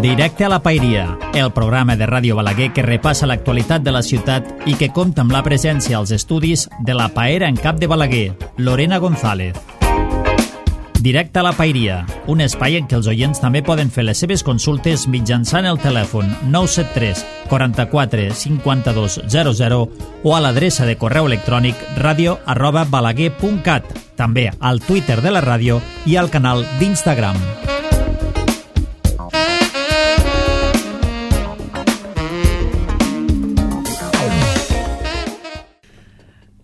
Directe a la Paeria, el programa de Ràdio Balaguer que repassa l'actualitat de la ciutat i que compta amb la presència als estudis de la paera en cap de Balaguer, Lorena González. Directe a la Paeria, un espai en què els oients també poden fer les seves consultes mitjançant el telèfon 973 44 52 00 o a l'adreça de correu electrònic radio@balaguer.cat, també al Twitter de la ràdio i al canal d'Instagram.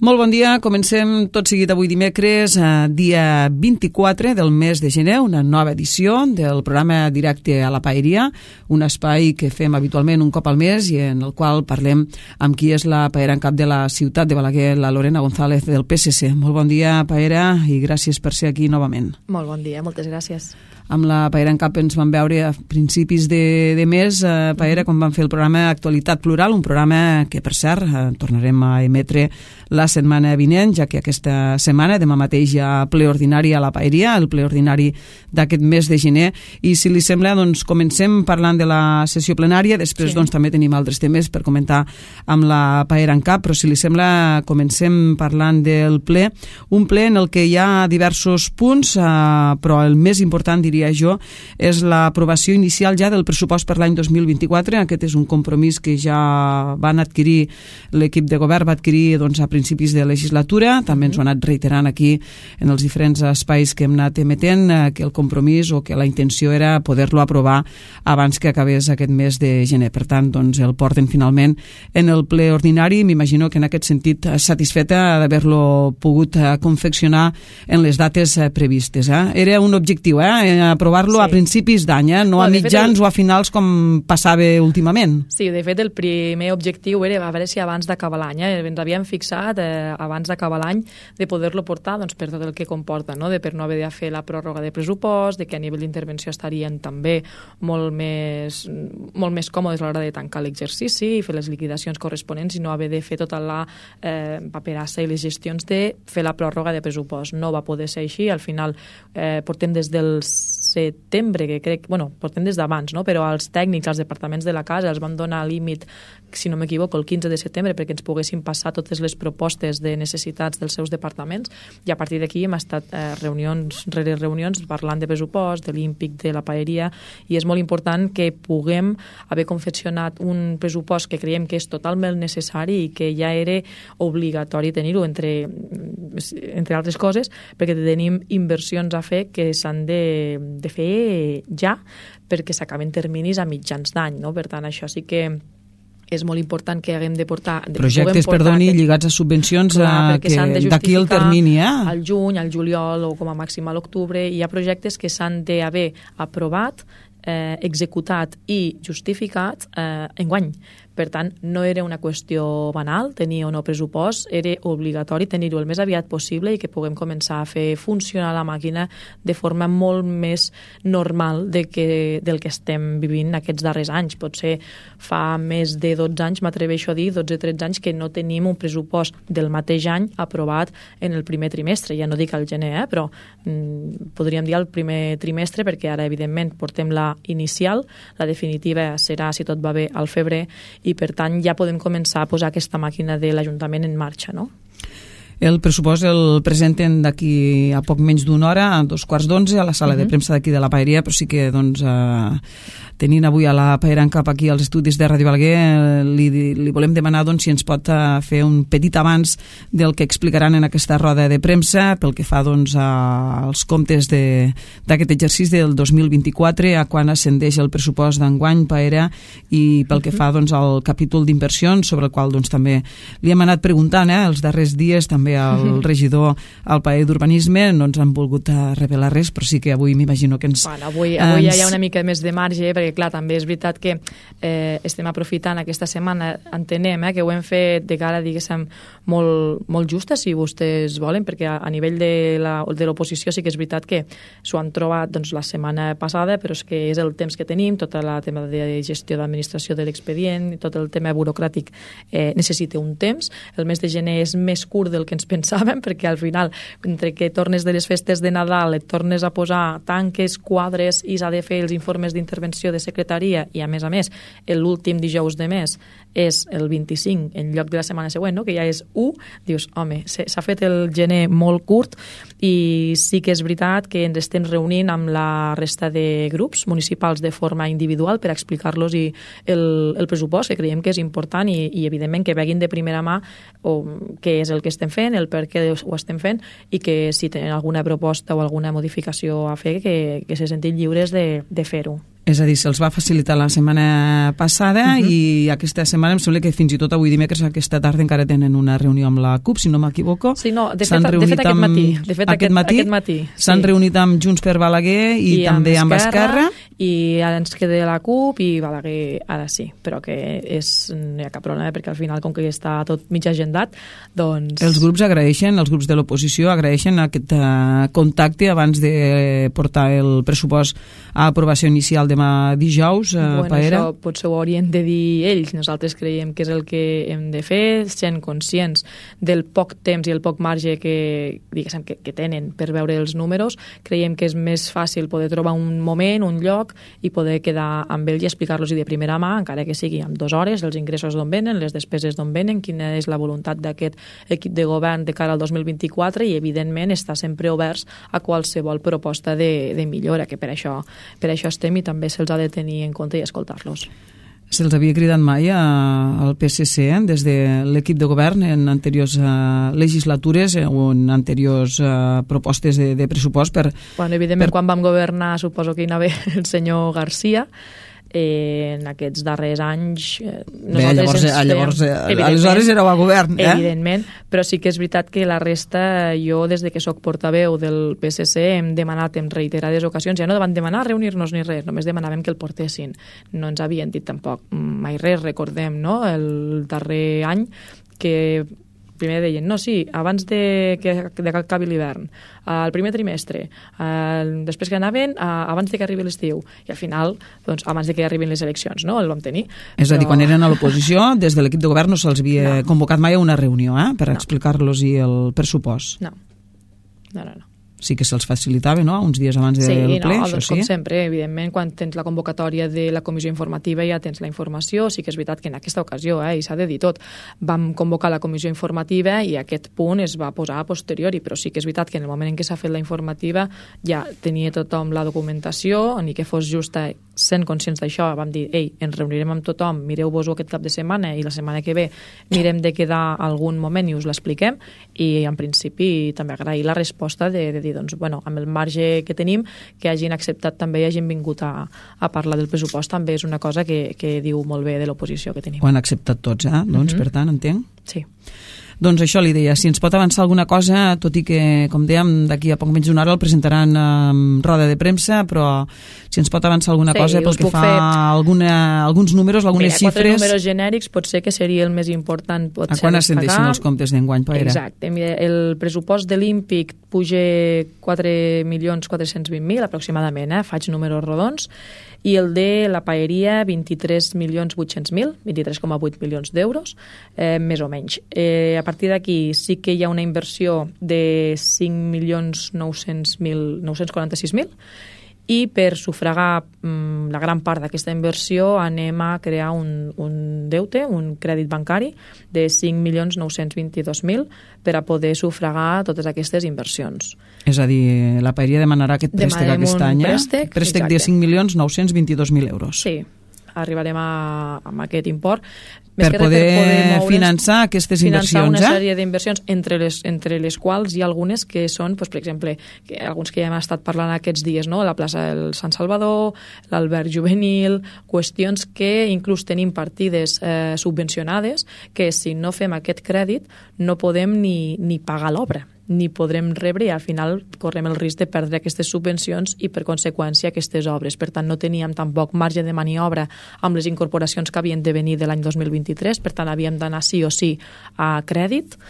Molt bon dia, comencem tot seguit avui dimecres, dia 24 del mes de gener, una nova edició del programa Directe a la Paeria, un espai que fem habitualment un cop al mes i en el qual parlem amb qui és la paera en cap de la ciutat de Balaguer, la Lorena González del PSC. Molt bon dia, paera, i gràcies per ser aquí novament. Molt bon dia, moltes gràcies. Amb la paera en cap ens vam veure a principis de mes, paera, quan vam fer el programa Actualitat Plural, un programa que, per cert, tornarem a emetre la setmana vinent, ja que aquesta setmana, demà mateix, hi ha ple ordinari a la Paeria, el ple ordinari d'aquest mes de gener, i si li sembla, doncs, comencem parlant de la sessió plenària, després doncs, també tenim altres temes per comentar amb la paera en cap, però si li sembla, comencem parlant del ple, un ple en el que hi ha diversos punts, però el més important, diria jo, és l'aprovació inicial ja del pressupost per l'any 2024. Aquest és un compromís que ja van adquirir, l'equip de govern va adquirir doncs, a principis de legislatura, també ens ho ha anat reiterant aquí en els diferents espais que hem anat emetent, que el compromís o que la intenció era poder-lo aprovar abans que acabés aquest mes de gener. Per tant, doncs, el porten finalment en el ple ordinari. M'imagino que en aquest sentit satisfeta d'haver-lo pogut confeccionar en les dates previstes. Era un objectiu, aprovar-lo a principis d'any, no a mitjans o a finals com passava últimament. Sí, de fet el primer objectiu era a veure si abans d'acabar l'any, ens havíem fixat abans d'acabar l'any de poder-lo portar doncs, per tot el que comporta, no? Per no haver de fer la pròrroga de pressupost, de que a nivell d'intervenció estarien també molt més còmodes a l'hora de tancar l'exercici i fer les liquidacions corresponents i no haver de fer tota la paperassa i les gestions de fer la pròrroga de pressupost. No va poder ser així, al final portem des del setembre, que crec, portem des d'abans, no? Però als tècnics, als departaments de la casa els van donar límit, si no m'equivoco, el 15 de setembre perquè ens poguessin passar totes les propostes de necessitats dels seus departaments i a partir d'aquí hem estat reunions rere reunions parlant de pressupost, de l'IMPIC, de la paeria, i és molt important que puguem haver confeccionat un pressupost que creiem que és totalment necessari i que ja era obligatori tenir-ho, entre altres coses, perquè tenim inversions a fer que s'han de fer ja perquè s'acaben terminis a mitjans d'any, no? Per tant, això sí que és molt important que haguem de portar... Projectes, lligats a subvencions d'aquí el termini, al juny, al juliol o com a màxim a l'octubre. Hi ha projectes que s'han d'haver aprovat, executat i justificat enguany. Per tant, no era una qüestió banal tenir o no pressupost, era obligatori tenir-ho el més aviat possible i que puguem començar a fer funcionar la màquina de forma molt més normal del que estem vivint aquests darrers anys. Potser fa més de 12 anys, m'atreveixo a dir, 12-13 anys, que no tenim un pressupost del mateix any aprovat en el primer trimestre. Ja no dic al gener, però podríem dir el primer trimestre, perquè ara, evidentment, portem la inicial, la definitiva serà, si tot va bé, al febrer, i per tant ja podem començar a posar aquesta màquina de l'Ajuntament en marxa, no? El pressupost el presenten d'aquí a poc menys d'una hora, a 11:15, a la sala de premsa d'aquí de la Paeria, però sí que doncs, tenint avui a la paera en cap aquí als estudis de Ràdio Balaguer, li volem demanar doncs, si ens pot fer un petit avanç del que explicaran en aquesta roda de premsa pel que fa doncs, als comptes d'aquest exercici del 2024, a quan ascendeix el pressupost d'enguany, paera, i pel que fa doncs, al capítol d'inversions, sobre el qual doncs, també li hem anat preguntant els darrers dies, també al regidor al Paer d'Urbanisme, no ens han volgut revelar res, però sí que avui m'imagino que ens... Bueno, avui ja hi ha una mica més de marge, perquè clar, també és veritat que estem aprofitant aquesta setmana, entenem que ho hem fet de cara, diguéssim, molt justa, si vostès volen, perquè a nivell de l'oposició sí que és veritat que s'ho han trobat doncs, la setmana passada, però és que és el temps que tenim, tot el tema de gestió d'administració de l'expedient, tot el tema burocràtic necessita un temps. El mes de gener és més curt del que que ens pensàvem, perquè al final, entre que tornes de les festes de Nadal, et tornes a posar tanques, quadres, i s'ha de fer els informes d'intervenció de secretaria, i a més, l'últim dijous de mes és el 25 en lloc de la setmana següent, no? Que ja és 1, dius, home, s'ha fet el gener molt curt, i sí que és veritat que ens estem reunint amb la resta de grups municipals de forma individual per explicar-los el pressupost, que creiem que és important, i evidentment que veguin de primera mà què és el que estem fent, el per què ho estem fent, i que si tenen alguna proposta o alguna modificació a fer, que se sentin lliures de fer-ho. És a dir, se'ls va facilitar la setmana passada i aquesta setmana em sembla que fins i tot avui dimecres, aquesta tarda, encara tenen una reunió amb la CUP, si no m'equivoco. Sí, no, de fet aquest matí. S'han reunit amb Junts per Balaguer i també amb Esquerra. I ara ens queda la CUP i Balaguer ara sí, però que no hi ha cap problema, perquè al final, com que està tot mig agendat, doncs... Els grups de l'oposició agraeixen aquest contacte abans de portar el pressupost a aprovació inicial demà dijous, Paera? Això potser ho haurien de dir ells. Nosaltres creiem que és el que hem de fer, sent conscients del poc temps i el poc marge que tenen per veure els números. Creiem que és més fàcil poder trobar un moment, un lloc, i poder quedar amb ells i explicar-los de primera mà, encara que sigui amb 2 hores, els ingressos d'on venen, les despeses d'on venen, quina és la voluntat d'aquest equip de govern de cara al 2024, i evidentment estar sempre oberts a qualsevol proposta de millora, que per això estem, i també se'ls ha de tenir en compte i escoltar-los. Se'ls havia cridat mai al PSC des de l'equip de govern en anteriors legislatures o en anteriors propostes de pressupost per... Evidentment, quan vam governar, suposo que hi anava el senyor Garcia, en aquests darrers anys... Aleshores éreu a govern, Evidentment, però sí que és veritat que la resta, jo des de que soc portaveu del PSC hem demanat en reiterades ocasions, ja no van demanar reunir-nos ni res, només demanàvem que el portessin. No ens havien dit tampoc mai res, recordem, no?, el darrer any que primer deien, no, sí, abans de que acabi l'hivern, al primer trimestre, després que anaven, abans de que arribi l'estiu, i al final, doncs, abans de que arribin les eleccions, no?, el vam tenir. És a dir, quan eren a l'oposició, des de l'equip de govern no se'ls havia convocat mai a una reunió, per explicar-los el pressupost. No. Sí que se'ls facilitava, no?, uns dies abans del ple, això sí. Com sempre, evidentment, quan tens la convocatòria de la comissió informativa ja tens la informació. Sí que és veritat que en aquesta ocasió, i s'ha de dir tot, vam convocar la comissió informativa i aquest punt es va posar a posteriori, però sí que és veritat que en el moment en què s'ha fet la informativa ja tenia tothom la documentació, ni que fos justa, sent conscients d'això, vam dir, ens reunirem amb tothom, mireu-vos-ho aquest cap de setmana i la setmana que ve mirem de quedar algun moment i us l'expliquem, i en principi també agrair la resposta de dir, doncs, amb el marge que tenim, que hagin acceptat també i hagin vingut a parlar del pressupost, també és una cosa que diu molt bé de l'oposició que tenim. Ho han acceptat tots, doncs, per tant, entenc? Sí. Doncs això li deia, si ens pot avançar alguna cosa, tot i que, com dèiem, d'aquí a poc menys d'una hora el presentaran en roda de premsa, però si ens pot avançar alguna cosa pel que fa a alguns números, algunes xifres... 4 números genèrics potser que seria el més important. A quan ascendeixin els comptes d'enguany, Paera? Exacte. El pressupost de l'Ímpic puja 4.420.000 aproximadament, faig números rodons, i el de la paeria 23.800.000, 23,8 milions d'euros, més o menys. A partir d'aquí sí que hi ha una inversió de 5.946.000 i per sufragar la gran part d'aquesta inversió anem a crear un deute, un crèdit bancari de 5.922.000 per a poder sufragar totes aquestes inversions. És a dir, la paeria demanarà aquest préstec aquest any, préstec de 5.922.000 euros. Sí, arribarem a aquest import. Per poder finançar aquestes inversions. Finançar una sèrie d'inversions, entre les quals hi ha algunes que són, per exemple, alguns que ja hem estat parlant aquests dies, no? La plaça del Sant Salvador, l'Alberg Juvenil, qüestions que inclús tenim partides subvencionades que si no fem aquest crèdit no podem ni pagar l'obra, ni podrem rebre, i al final correm el risc de perdre aquestes subvencions i per conseqüència aquestes obres. Per tant, no teníem tampoc marge de maniobra amb les incorporacions que havien de venir de l'any 2023, per tant havíem d'anar sí o sí a crèdit,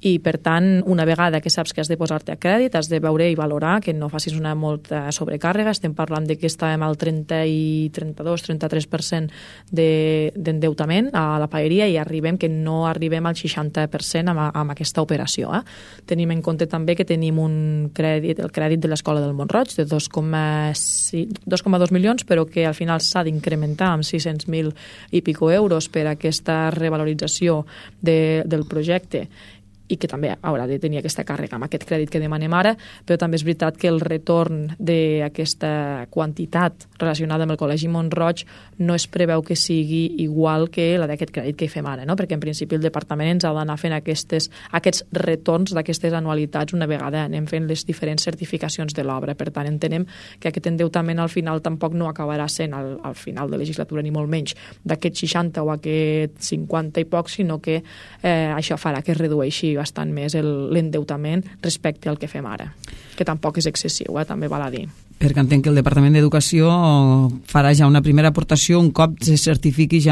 i per tant, una vegada que saps que has de posar-te a crèdit, has de veure i valorar que no facis una molta sobrecàrrega. Estem parlant de que estàvem al 32-33% d'endeutament a la paeria i que no arribem al 60% amb aquesta operació. Tenim en compte també que tenim un crèdit, el crèdit de l'Escola del Mont-roig de 2,2 milions, però que al final s'ha d'incrementar amb 600.000 i pico euros per aquesta revalorització del projecte i que també haurà de tenir aquesta càrrega amb aquest crèdit que demanem ara, però també és veritat que el retorn d'aquesta quantitat relacionada amb el Col·legi Mont-roig no es preveu que sigui igual que la d'aquest crèdit que hi fem ara, no? Perquè en principi el departament ens ha d'anar fent aquests retorns d'aquestes anualitats una vegada anem fent les diferents certificacions de l'obra. Per tant, entenem que aquest endeutament al final tampoc no acabarà sent al final de legislatura, ni molt menys d'aquest 60 o aquest 50 i poc, sinó que això farà que es redueixi bastant més l'endeutament respecte al que fem ara, que tampoc és excessiu, també val a dir. Perquè entenc que el Departament d'Educació farà ja una primera aportació un cop se certifiqui ja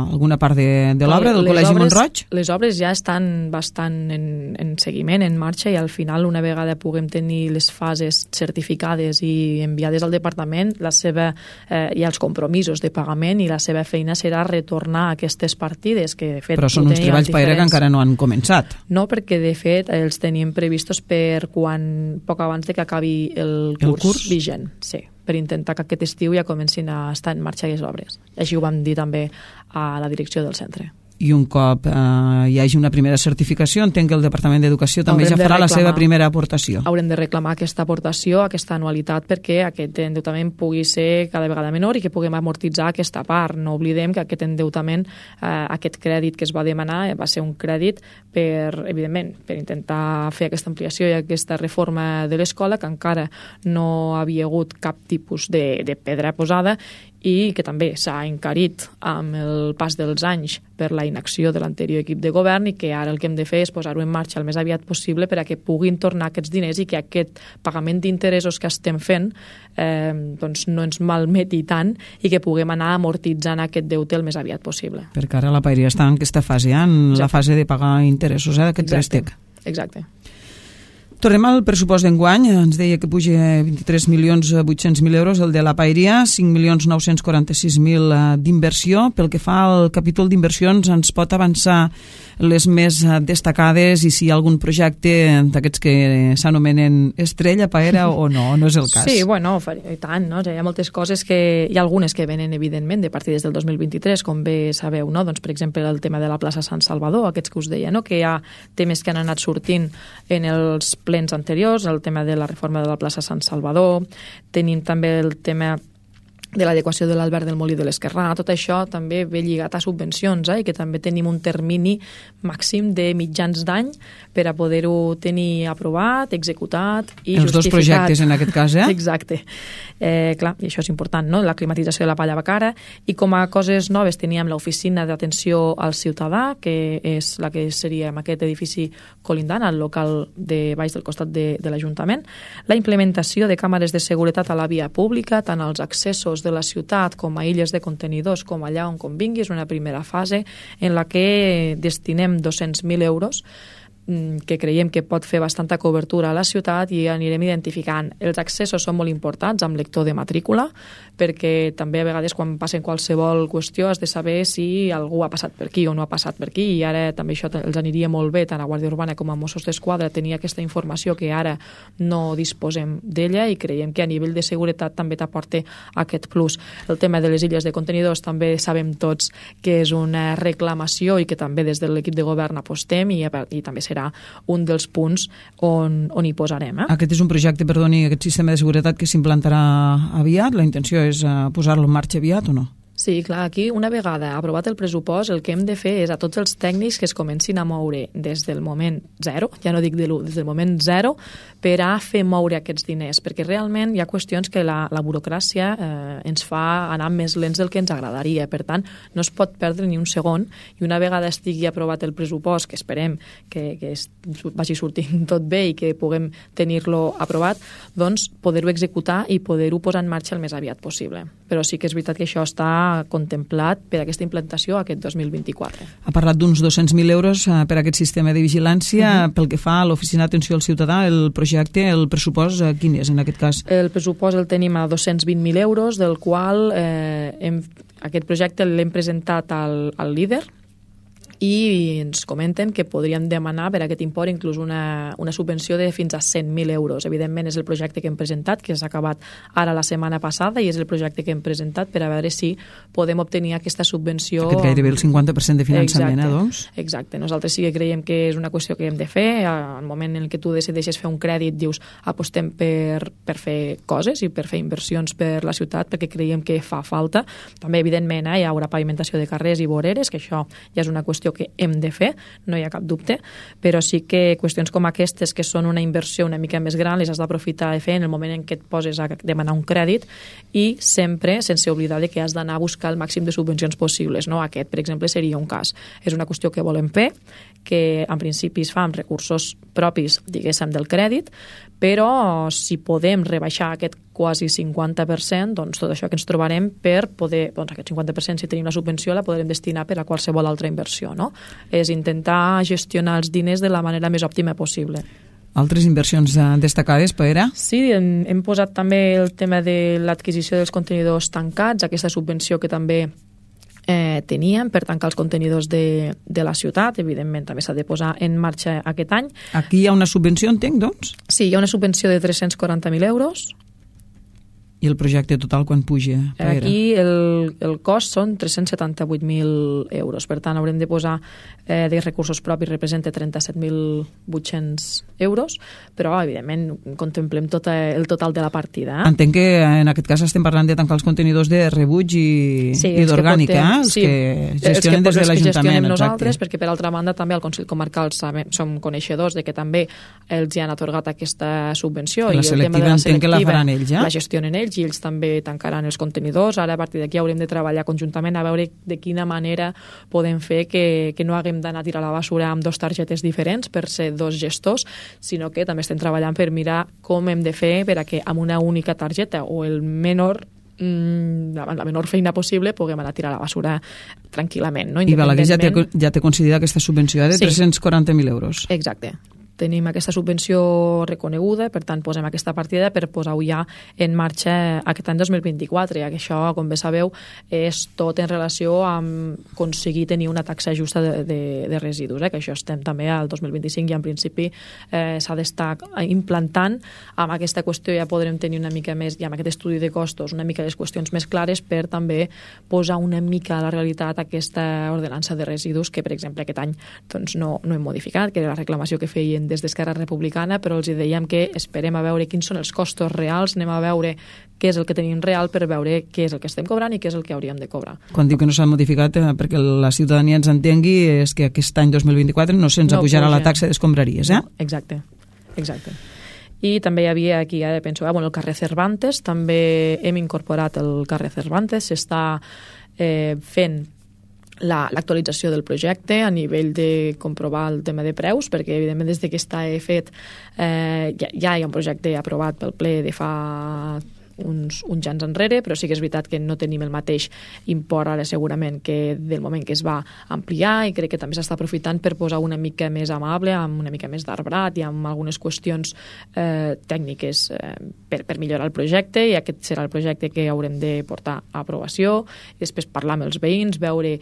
alguna part de l'obra del Col·legi Mont-roig? Les obres ja estan bastant en seguiment, en marxa, i al final, una vegada puguem tenir les fases certificades i enviades al Departament, hi ha els compromisos de pagament i la seva feina serà retornar aquestes partides, que de fet... Però són uns treballs, Paera, que encara no han començat. No, perquè de fet els tenim previstos per poc abans de que acabi el curs vigent, sí, per intentar que aquest estiu ja comencin a estar en marxa les obres. Així ho vam dir també a la direcció del centre. I un cop hi hagi una primera certificació, entenc que el Departament d'Educació també ja farà la seva primera aportació. Haurem de reclamar aquesta aportació, aquesta anualitat, perquè aquest endeutament pugui ser cada vegada menor i que puguem amortitzar aquesta part. No oblidem que aquest endeutament, aquest crèdit que es va demanar, va ser un crèdit evidentment, per intentar fer aquesta ampliació i aquesta reforma de l'escola, que encara no havia hagut cap tipus de pedra posada, i que també s'ha encarit amb el pas dels anys per la inacció de l'anterior equip de govern, i que ara el que hem de fer és posar-ho en marxa el més aviat possible per a que puguin tornar aquests diners i que aquest pagament d'interessos que estem fent doncs no ens malmeti tant i que puguem anar amortitzant aquest deute el més aviat possible. Perquè ara la paeria està en aquesta fase, en la fase de pagar interessos d'aquest préstec. Exacte. Tornem al pressupost d'enguany. Ens deia que puja 23.800.000 euros el de la paeria, 5.946.000 d'inversió. Pel que fa al capítol d'inversions, ens pot avançar les més destacades i si hi ha algun projecte d'aquests que s'anomenen estrella, Paera, o no és el cas? Sí, bueno, i tant, no? Hi ha moltes coses que... Hi ha algunes que venen, evidentment, de partides del 2023, com bé sabeu, no? Doncs, per exemple, el tema de la plaça Sant Salvador, aquests que us deia, no? Que hi ha temes que han anat sortint en els plens anteriors, el tema de la reforma de la plaça Sant Salvador, tenim també el tema de l'adequació de l'Albert del Molí de l'Esquerrà. Tot això també ve lligat a subvencions, i que també tenim un termini màxim de mitjans d'any per a poder-ho tenir aprovat, executat i justificat. Els dos projectes, en aquest cas, Exacte. Clar, i això és important, no? La climatització de la Palla Bacara, i com a coses noves teníem l'oficina d'atenció al ciutadà, que és la que seria en aquest edifici colindant, al local de baix del costat de l'Ajuntament, la implementació de càmeres de seguretat a la via pública, tant als accessos de la ciutat com a illes de contenidors, com allà on convingui. És una primera fase en la que destinem 200.000 euros que creiem que pot fer bastanta cobertura a la ciutat, i anirem identificant. Els accessos són molt importants amb lector de matrícula, perquè també a vegades quan passen qualsevol qüestió has de saber si algú ha passat per aquí o no ha passat per aquí, i ara també això els aniria molt bé tant a Guàrdia Urbana com a Mossos d'Esquadra tenir aquesta informació que ara no disposem d'ella, i creiem que a nivell de seguretat també t'aporta aquest plus. El tema de les illes de contenidors també sabem tots que és una reclamació i que també des de l'equip de govern apostem, i també serà un dels punts on hi posarem. Aquest és un projecte, perdoni, aquest sistema de seguretat que s'implantarà aviat? La intenció és posar-lo en marxa aviat o no? Sí, clar, aquí una vegada aprovat el pressupost el que hem de fer és a tots els tècnics que es comencin a moure des del moment zero, ja no dic de l'1, des del moment zero, per a fer moure aquests diners, perquè realment hi ha qüestions que la burocràcia ens fa anar més lents del que ens agradaria. Per tant, no es pot perdre ni un segon, i una vegada estigui aprovat el pressupost, que esperem que vagi sortint tot bé i que puguem tenir-lo aprovat, doncs poder-ho executar i poder-ho posar en marxa el més aviat possible. Però sí que és veritat que això està està contemplat per aquesta implantació aquest 2024. Ha parlat d'uns 200.000 euros per a aquest sistema de vigilància. Pel que fa a l'Oficina d'Atenció al Ciutadà, el projecte, el pressupost, quin és en aquest cas? El pressupost el tenim a 220.000 euros, del qual aquest projecte l'hem presentat al líder, i ens comenten que podríem demanar per aquest import inclús una subvenció de fins a 100.000 euros. Evidentment és el projecte que hem presentat, que s'ha acabat ara la setmana passada, i és el projecte que hem presentat per a veure si podem obtenir aquesta subvenció. Aquest gairebé el 50% de finançament, doncs? Exacte. Nosaltres sí que creiem que és una qüestió que hem de fer. Al moment en què tu decideixes fer un crèdit, dius apostem per fer coses i per fer inversions per la ciutat, perquè creiem que fa falta. També, evidentment, hi haurà pavimentació de carrers i voreres, que això ja és una qüestió que hem de fer, no hi ha cap dubte, però sí que qüestions com aquestes, que són una inversió una mica més gran, les has d'aprofitar de fer en el moment en què et poses a demanar un crèdit, i sempre sense oblidar que has d'anar a buscar el màxim de subvencions possibles. No? Aquest, per exemple, seria un cas. És una qüestió que volem fer, que en principi es fa amb recursos propis, diguéssim, del crèdit, però si podem rebaixar aquest quasi 50%, doncs tot això que ens trobarem per poder, doncs aquest 50%, si tenim la subvenció, la podrem destinar per a qualsevol altra inversió, no? És intentar gestionar els diners de la manera més òptima possible. Altres inversions destacades, Paera? Sí, hem posat també el tema de l'adquisició dels contenidors tancats, aquesta subvenció que també teníem per tancar els contenidors de la ciutat. Evidentment també s'ha de posar en marxa aquest any. Aquí hi ha una subvenció, entenc, doncs? Sí, hi ha una subvenció de 340.000 euros. I el projecte total quan puja? Aquí el cost són 378.000 euros. Per tant, haurem de posar de recursos propis, representa 37.800 euros, però, evidentment, contemplem tot el total de la partida. Entenc que, en aquest cas, estem parlant de tancar els contenidors de rebuig i d'orgànica, els que gestionen des de l'Ajuntament. Nosaltres, perquè, per altra banda, també al Consell Comarcal som coneixedors de que també els hi han atorgat aquesta subvenció. La selectiva entenc que la faran ells, ja? La gestionen ells, i ells també tancaran els contenidors. Ara, a partir d'aquí, haurem de treballar conjuntament a veure de quina manera podem fer que no haguem d'anar a tirar la basura amb 2 targetes diferents per ser 2 gestors, sinó que també estem treballant per mirar com hem de fer per a que amb una única targeta o la menor feina possible puguem anar a tirar la basura tranquil·lament. No? I Balaguer ja té concedida aquesta subvenció de 340.000 euros. Exacte. Tenim aquesta subvenció reconeguda, per tant posem aquesta partida per posar-ho ja en marxa aquest any 2024, que això, com bé sabeu, és tot en relació amb aconseguir tenir una taxa justa de residus, que això estem també al 2025 i en principi s'ha d'estar implantant. Amb aquesta qüestió ja podrem tenir una mica més, i amb aquest estudi de costos, una mica les qüestions més clares per també posar una mica a la realitat aquesta ordenança de residus que, per exemple, aquest any doncs, no hem modificat, que era la reclamació que feien des d'Esquerra Republicana, però els dèiem que esperem a veure quins són els costos reals, anem a veure què és el que tenim real per veure què és el que estem cobrant i què és el que hauríem de cobrar. Quan diu que no s'ha modificat, perquè la ciutadania ens entengui, és que aquest any 2024 no se'ns apujarà la taxa d'escombraries, No, exacte. I també hi havia aquí, ara penso, el carrer Cervantes, també hem incorporat el carrer Cervantes, s'està fent l'actualització del projecte a nivell de comprovar el tema de preus, perquè evidentment des que està fet ja hi ha un projecte aprovat pel ple de fa uns anys enrere, però sí que és veritat que no tenim el mateix import ara segurament que del moment que es va ampliar, i crec que també s'està aprofitant per posar una mica més amable, amb una mica més d'arbrat i amb algunes qüestions tècniques per millorar el projecte, i aquest serà el projecte que haurem de portar a aprovació, i després parlar amb els veïns, veure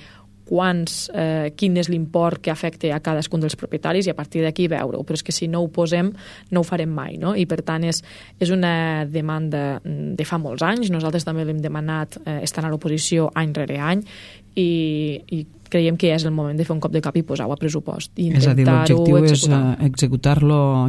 quin és l'import que afecta a cadascun dels propietaris i a partir d'aquí veure-ho, però és que si no ho posem no ho farem mai, no? I per tant és una demanda de fa molts anys, nosaltres també l'hem demanat estant a l'oposició any rere any, i creiem que és el moment de fer un cop de cap i posar-ho a pressupost i és a dir, l'objectiu és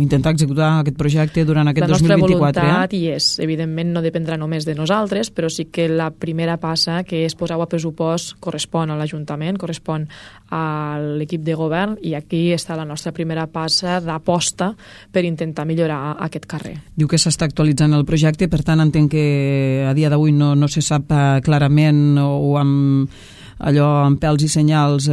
intentar executar aquest projecte durant aquest 2024. La nostra voluntat hi és, evidentment no dependrà només de nosaltres, però sí que la primera passa, que és posar-ho a pressupost, correspon a l'Ajuntament, correspon a l'equip de govern, i aquí està la nostra primera passa d'aposta per intentar millorar aquest carrer. Diu que s'està actualitzant el projecte, per tant entenc que a dia d'avui no se sap clarament o amb pèls i senyals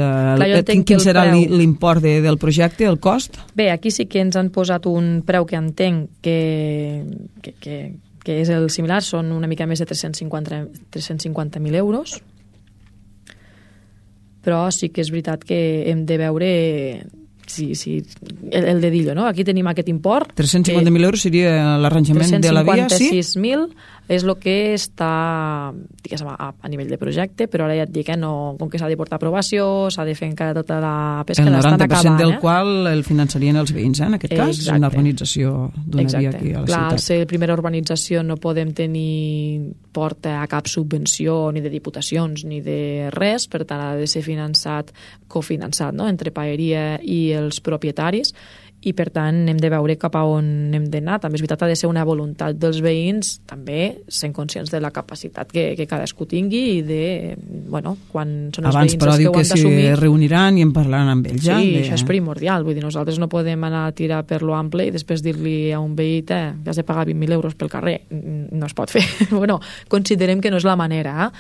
quin serà l'import del projecte, el cost? Bé, aquí sí que ens han posat un preu que entenc que és el similar, són una mica més de 350.000 euros, però sí que és veritat que hem de veure el dedillo, no? Aquí tenim aquest import. 350.000 euros seria l'arranjament de la via, sí? 356.000 és el que està, diguéssim, a nivell de projecte, però ara ja et dic, com que s'ha de portar aprovació, s'ha de fer encara tota la pesca, el l'estan acabant. El 90% del qual el finançarien els veïns, en aquest cas, és una urbanització d'una via aquí a la ciutat. Al ser primera urbanització no podem tenir porta a cap subvenció ni de diputacions ni de res, per tant ha de ser finançat, cofinançat, no?, entre Paeria i els propietaris, i per tant hem de veure cap a on hem d'anar. També és veritat, ha de ser una voluntat dels veïns, també sent conscients de la capacitat que cadascú tingui i de, quan són els veïns els que ho han d'assumir. Abans, però diu que s'hi reuniran i en parlaran amb ells. Sí, això és primordial. Vull dir, nosaltres no podem anar a tirar per lo ample i després dir-li a un veí que has de pagar 20.000 euros pel carrer. No es pot fer. Considerem que no és la manera.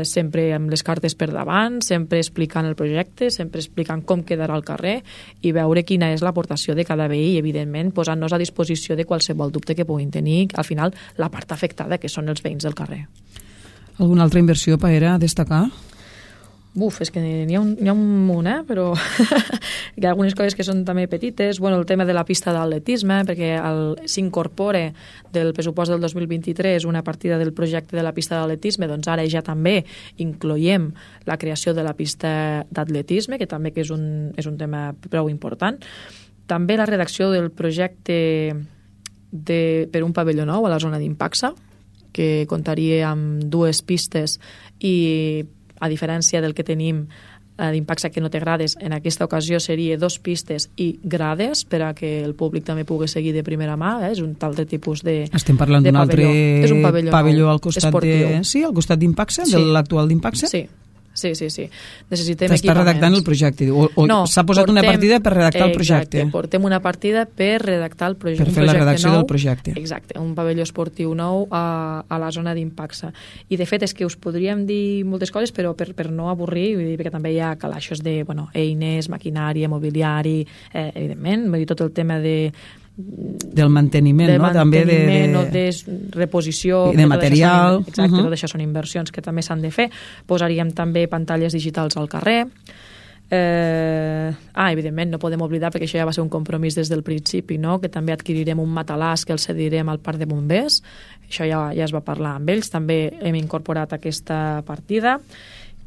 Sempre amb les cartes per davant, sempre explicant el projecte, sempre explicant com quedarà el carrer i veure quina és l'aportació de cada veí i, evidentment, posant-nos a disposició de qualsevol dubte que puguin tenir, al final, la part afectada, que són els veïns del carrer. Alguna altra inversió, Paera, a destacar? És que n'hi ha un munt, però hi ha algunes coses que són també petites. El tema de la pista d'atletisme, perquè s'incorpora del pressupost del 2023 una partida del projecte de la pista d'atletisme, doncs ara ja també incloiem la creació de la pista d'atletisme, que també que és un tema prou important. També la redacció del projecte per un pavelló nou a la zona d'Impacsa, que comptaria amb 2 pistes i, a diferència del que tenim d'Impacsa, que no té grades, en aquesta ocasió seria 2 pistes i grades per a que el públic també pugui seguir de primera mà. És un altre tipus de pavelló. Estem parlant d'un altre pavelló al costat esportiu. Sí, al costat d'Impacsa, de l'actual d'Impacsa? Sí. Necessitem equipaments. T'està redactant el projecte, no, s'ha posat una partida per redactar el projecte. Exacte, portem una partida per redactar el projecte. Per fer la redacció del projecte. Exacte, un pavelló esportiu nou a la zona d'Impacsa. I de fet és que us podríem dir moltes coses, però per no avorrir, perquè també hi ha calaixos de eines, maquinària, mobiliari, evidentment, tot el tema del manteniment, no? També de reposició, de material. Exacte, tot això són inversions que també s'han de fer. Posaríem també pantalles digitals al carrer. Evidentment, no podem oblidar, perquè això ja va ser un compromís des del principi, no?, que també adquirirem un matalàs que el cedirem al parc de bombers. Això ja es va parlar amb ells. També hem incorporat aquesta partida.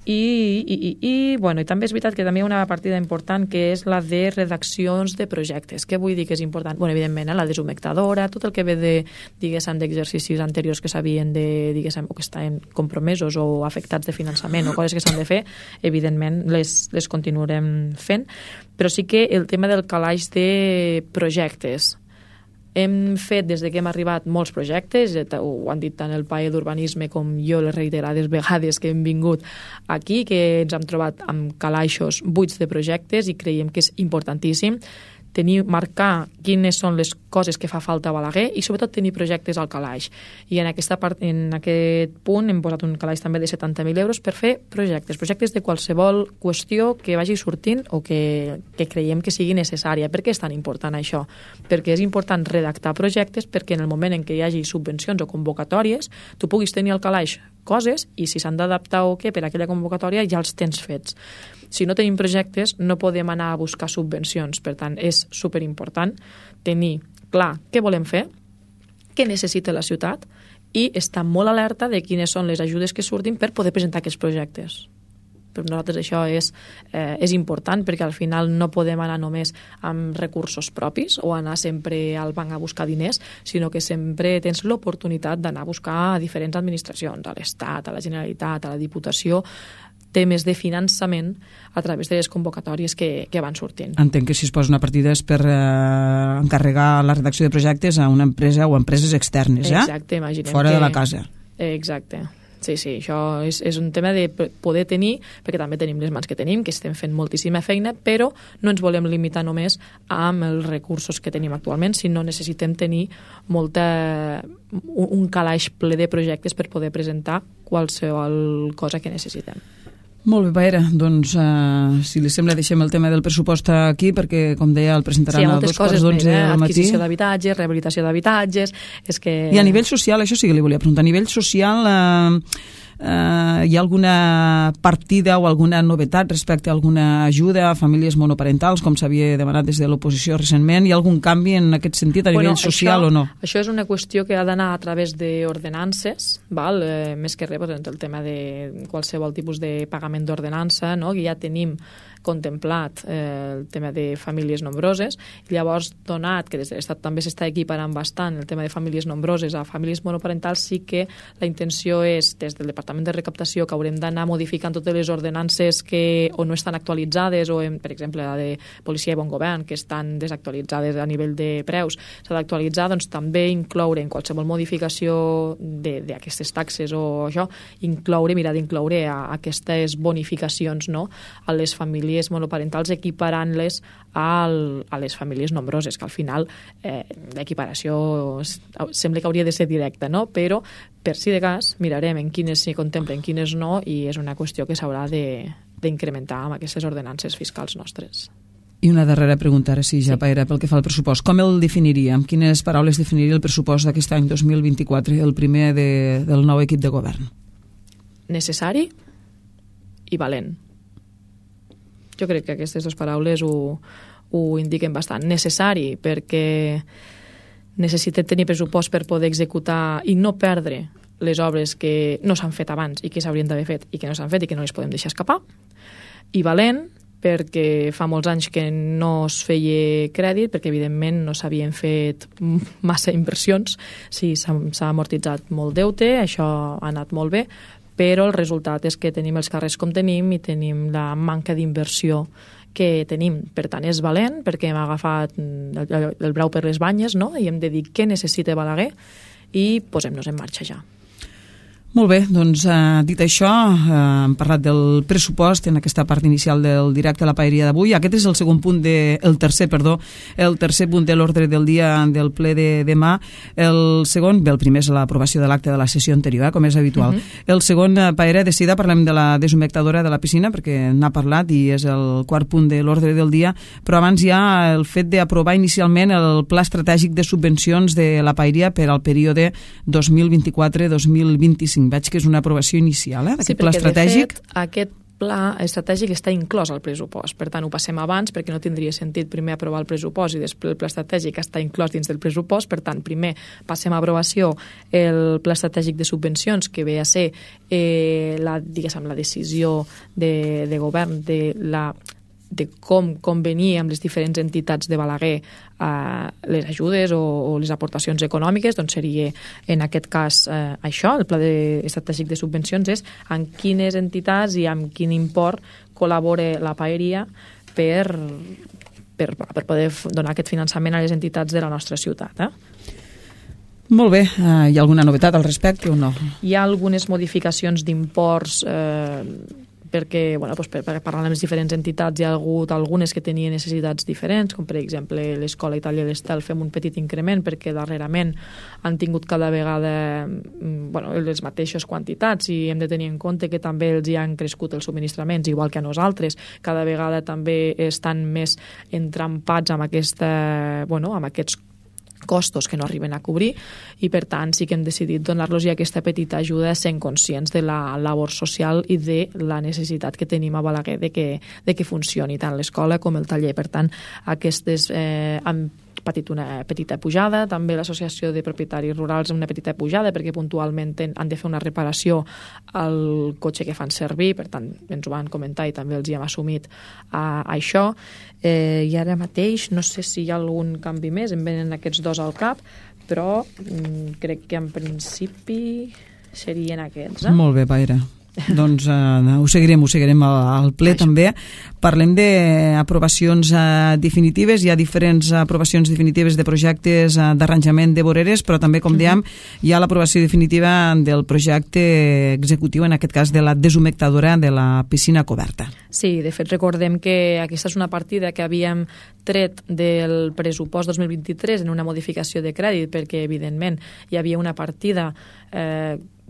I també és veritat que també hi ha una partida important que és la de redaccions de projectes. Què vull dir que és important? Evidentment, la deshumectadora, tot el que ve d'exercicis anteriors que s'havien o que estan compromesos o afectats de finançament o coses que s'han de fer, evidentment les continuarem fent, però sí que el tema del calaix de projectes. Hem fet, des que hem arribat, molts projectes, ho han dit tant el PAE d'Urbanisme com jo les reiterades vegades que hem vingut aquí, que ens hem trobat amb calaixos buits de projectes i creiem que és importantíssim marcar quines són les coses que fa falta a Balaguer i sobretot tenir projectes al calaix. I en aquest punt hem posat un calaix també de 70.000 euros per fer projectes de qualsevol qüestió que vagi sortint o que creiem que sigui necessària. Per què és tan important això? Perquè és important redactar projectes perquè en el moment en què hi hagi subvencions o convocatòries tu puguis tenir al calaix coses i si s'han d'adaptar o què per a aquella convocatòria ja els tens fets. Si no tenim projectes, no podem anar a buscar subvencions. Per tant, és superimportant tenir clar què volem fer, què necessita la ciutat i estar molt alerta de quines són les ajudes que surtin per poder presentar aquests projectes. Per nosaltres això és important perquè al final no podem anar només amb recursos propis o anar sempre al banc a buscar diners, sinó que sempre tens l'oportunitat d'anar a buscar a diferents administracions, a l'Estat, a la Generalitat, a la Diputació, temes de finançament a través de les convocatòries que van sortint. Entenc que si es posa una partida és per encarregar la redacció de projectes a una empresa o a empreses externes, Exacte, imaginem fora de la casa. Exacte. Sí, això és un tema de poder tenir, perquè també tenim les mans que tenim, que estem fent moltíssima feina, però no ens volem limitar només amb els recursos que tenim actualment, sinó necessitem tenir un calaix ple de projectes per poder presentar qualsevol cosa que necessitem. Molt bé, Paera, doncs si li sembla deixem el tema del pressupost aquí perquè, com deia, el presentaran a 2:11 del matí. Adquisició d'habitatges, rehabilitació d'habitatges... I a nivell social, això sí que li volia preguntar, a nivell social hi ha alguna partida o alguna novetat respecte a alguna ajuda a famílies monoparentals, com s'havia demanat des de l'oposició recentment? Hi ha algun canvi en aquest sentit a nivell social o no? Això és una qüestió que ha d'anar a través d'ordenances, més que res el tema de qualsevol tipus de pagament d'ordenança, no? Que ja tenim contemplat el tema de famílies nombroses. Llavors, donat que des de l'Estat també s'està equiparant bastant el tema de famílies nombroses a famílies monoparentals, sí que la intenció és, des del Departament de Recaptació, que haurem d'anar modificant totes les ordenances que o no estan actualitzades, o, per exemple, la de Policia i Bon Govern, que estan desactualitzades a nivell de preus, s'ha d'actualitzar, doncs també incloure en qualsevol modificació d'aquestes taxes o això, mirar d'incloure aquestes bonificacions, no?, a les famílies monoparentals, equiparant-les a les famílies nombroses, que al final l'equiparació sembla que hauria de ser directa, no? Però per si de cas mirarem en quines s'hi contemplen, en quines no, i és una qüestió que s'haurà d'incrementar amb aquestes ordenances fiscals nostres. I una darrera pregunta, ara sí, ja, Paera, pel que fa al pressupost. Com el definiria? Amb quines paraules definiria el pressupost d'aquest any 2024, el primer del nou equip de govern? Necessari i valent. Jo crec que aquestes dues paraules ho indiquen bastant. Necessari, perquè necessitem tenir pressupost per poder executar i no perdre les obres que no s'han fet abans i que s'haurien d'haver fet i que no s'han fet i que no les podem deixar escapar. I valent, perquè fa molts anys que no es feia crèdit, perquè evidentment no s'havien fet massa inversions. Sí, s'ha amortitzat molt deute, això ha anat molt bé, però el resultat és que tenim els carrers com tenim i tenim la manca d'inversió que tenim. Per tant, és valent, perquè hem agafat el brau per les banyes, no?, i hem de dir què necessita Balaguer i posem-nos en marxa ja. Molt bé, doncs dit això, hem parlat del pressupost en aquesta part inicial del directe a la Paeria d'avui. Aquest és el tercer punt de l'ordre del dia del ple de demà. El segon, el primer és l'aprovació de l'acte de la sessió anterior, com és habitual. El segon, Paera, de seguida parlem de la deshumectadora de la piscina, perquè n'ha parlat i és el quart punt de l'ordre del dia, però abans hi ha el fet d'aprovar inicialment el pla estratègic de subvencions de la Paeria per al període 2024-2025. Veig que és una aprovació inicial, d'aquest pla estratègic. De fet, aquest pla estratègic està inclòs al pressupost. Per tant, ho passem abans, perquè no tindria sentit primer aprovar el pressupost i després el pla estratègic està inclòs dins del pressupost. Per tant, primer passem a aprovació el pla estratègic de subvencions, que ve a ser la decisió de govern de com convenir amb les diferents entitats de Balaguer les ajudes o les aportacions econòmiques. Doncs seria, en aquest cas, això, el pla estratègic de subvencions és amb quines entitats i amb quin import col·labora la Paeria per poder donar aquest finançament a les entitats de la nostra ciutat. Molt bé. Hi ha alguna novetat al respecte o no? Hi ha algunes modificacions d'imports perquè, per parlar amb les diferents entitats, hi ha hagut algunes que tenien necessitats diferents, com per exemple l'Escola Itàlia d'Estel fem un petit increment perquè darrerament han tingut cada vegada les mateixes quantitats i hem de tenir en compte que també els hi han crescut els subministraments, igual que a nosaltres. Cada vegada també estan més entrampats amb aquests costos que no arriben a cobrir i per tant sí que hem decidit donar-los aquesta petita ajuda sent conscients de la labor social i de la necessitat que tenim a Balaguer de que funcioni tant l'escola com el taller. Per tant, aquestes han patit una petita pujada, també l'associació de propietaris rurals una petita pujada perquè puntualment han de fer una reparació al cotxe que fan servir, per tant ens ho van comentar i també els hi hem assumit això. I ara mateix no sé si hi ha algun canvi més, em venen aquests dos al cap, però crec que en principi serien aquests. Molt bé, Paera. Doncs ho seguirem al ple també. Parlem d'aprovacions definitives. Hi ha diferents aprovacions definitives de projectes d'arranjament de voreres, però també, com dèiem, hi ha l'aprovació definitiva del projecte executiu, en aquest cas de la deshumectadora de la piscina coberta. Sí, de fet recordem que aquesta és una partida que havíem tret del pressupost 2023 en una modificació de crèdit, perquè evidentment hi havia una partida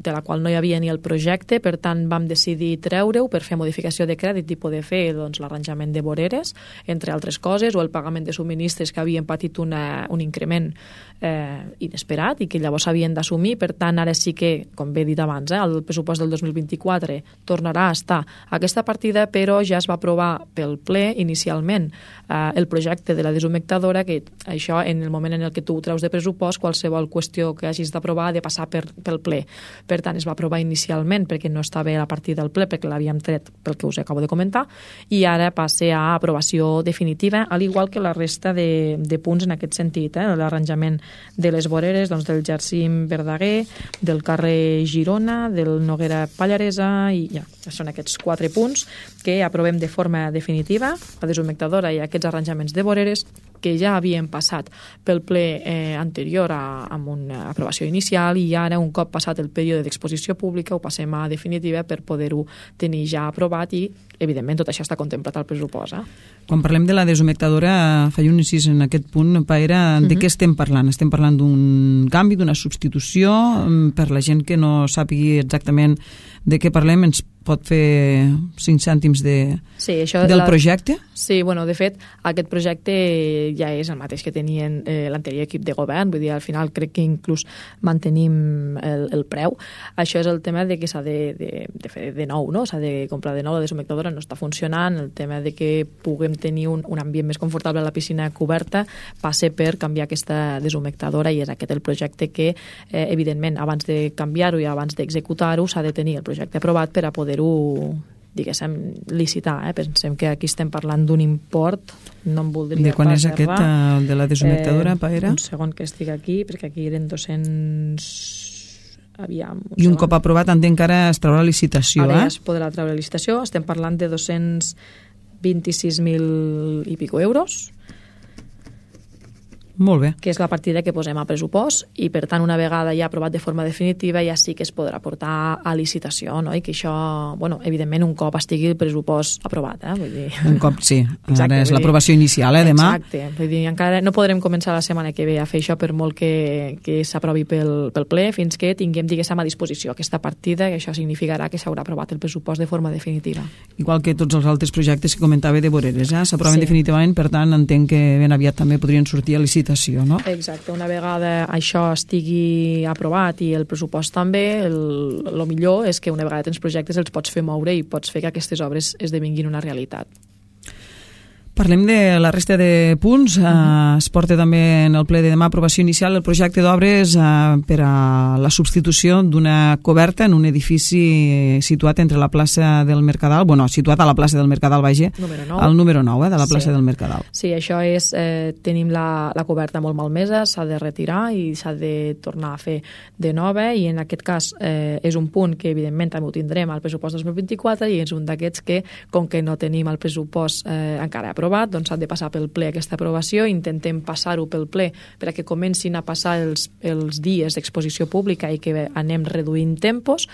de la qual no hi havia ni el projecte, per tant vam decidir treure-ho per fer modificació de crèdit i poder fer l'arranjament de voreres, entre altres coses, o el pagament de subministres que havien patit un increment inesperat i que llavors s'havien d'assumir. Per tant, ara sí que, com bé he dit abans, el pressupost del 2024 tornarà a estar aquesta partida, però ja es va aprovar pel ple inicialment el projecte de la deshumectadora, que això, en el moment en el que tu ho treus de pressupost, qualsevol qüestió que hagis d'aprovar ha de passar pel ple. Per tant, es va aprovar inicialment perquè no estava a la partida del ple, perquè l'havíem tret pel que us acabo de comentar, i ara passa a aprovació definitiva, al igual que la resta de punts en aquest sentit, l'arranjament de les voreres, doncs, del Jacint Verdaguer, del carrer Girona, del Noguera Pallaresa, i ja són aquests 4 punts que aprovem de forma definitiva, la deshumectadora i aquests arranjaments de voreres que ja havien passat pel ple anterior amb una aprovació inicial, i ara, un cop passat el període d'exposició pública, ho passem a definitiva per poder-ho tenir ja aprovat, i evidentment tot això està contemplat al pressupost. Quan parlem de la deshumectadora, faig un incís en aquest punt, Paera, de què estem parlant? Estem parlant d'un canvi, d'una substitució? Per la gent que no sàpigui exactament de què parlem, ens pot fer 5 cèntims del projecte? Sí, bueno, de fet, aquest projecte ja és el mateix que tenien l'anterior equip de govern, vull dir, al final crec que inclús mantenim el preu. Això és el tema de que s'ha de fer de nou, no? S'ha de comprar de nou, la deshumectadora no està funcionant, el tema de que puguem tenir un ambient més confortable a la piscina coberta passa per canviar aquesta deshumectadora, i és aquest el projecte que, evidentment, abans de canviar-ho i abans d'executar-ho, s'ha de tenir el projecte aprovat per a poder-ho, diguéssim, licitar. Pensem que aquí estem parlant d'un import, no em voldria... De quan és aquest, el de la deshumectadora, Paera? Un segon que estic aquí, perquè aquí eren 200... I un cop aprovat, entenc que ara es traurà licitació, Ara ja es podrà treure licitació, estem parlant de 226.000 i pico euros. Molt bé. Que és la partida que posem a pressupost, i per tant, una vegada ja aprovat de forma definitiva, ja sí que es podrà portar a licitació, no? I que això, bueno, evidentment, un cop estigui el pressupost aprovat, Vull dir... Un cop, sí. Exacte, ara és l'aprovació inicial, demà. Exacte. Vull dir, encara no podrem començar la setmana que ve a fer això, per molt que s'aprovi pel ple, fins que tinguem, diguéssim, a disposició aquesta partida, que això significarà que s'haurà aprovat el pressupost de forma definitiva. Igual que tots els altres projectes que comentava de voreres, s'aproven definitivament, per tant, entenc que ben aviat també podrien sortir a licitació. No? Exacte, una vegada això estigui aprovat i el pressupost també, el millor és que una vegada tens projectes els pots fer moure i pots fer que aquestes obres esdevinguin una realitat. Parlem de la resta de punts. Es porta també en el ple de demà aprovació inicial el projecte d'obres per a la substitució d'una coberta en un edifici situat entre la plaça del Mercadal, situat a la plaça del Mercadal, al número 9 de la plaça del Mercadal. Sí, això és, tenim la coberta molt malmesa, s'ha de retirar i s'ha de tornar a fer de nova, i en aquest cas és un punt que evidentment també ho tindrem al pressupost 2024, i és un d'aquests que, com que no tenim el pressupost encara aprovat, doncs ha de passar pel ple aquesta aprovació. Intentem passar-ho pel ple perquè comencin a passar els dies d'exposició pública i que anem reduint tempos.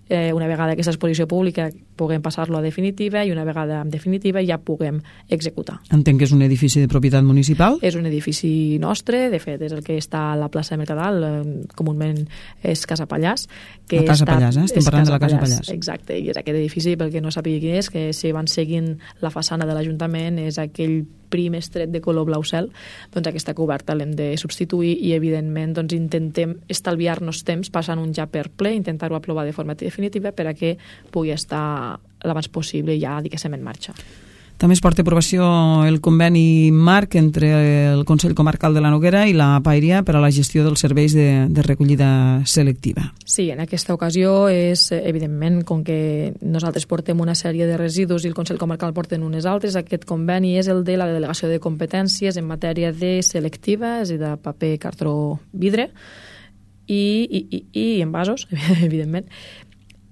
Una vegada aquesta exposició pública puguem passar-lo a definitiva, i una vegada en definitiva ja puguem executar. Entenc que és un edifici de propietat municipal? És un edifici nostre, de fet és el que està a la plaça de Mercadal, comúment és Casa Pallàs. La Casa Pallàs, estem parlant de la Casa Pallàs. Exacte, i és aquest edifici, pel que no sàpiga quin és, que si van seguint la façana de l'Ajuntament, és aquell prim estret de color blau cel, doncs aquesta coberta l'hem de substituir, i evidentment doncs intentem estalviar-nos temps passant un ja per ple, intentar-ho aprovar de forma definitiva per a que pugui estar l'abans possible ja, diguéssim, en marxa. També es porta a aprovació el conveni marc entre el Consell Comarcal de la Noguera i la Paeria per a la gestió dels serveis de recollida selectiva. Sí, en aquesta ocasió és, evidentment, com que nosaltres portem una sèrie de residus i el Consell Comarcal porten unes altres, aquest conveni és el de la delegació de competències en matèria de selectiva, és a dir, de paper, cartró, vidre i envasos, evidentment.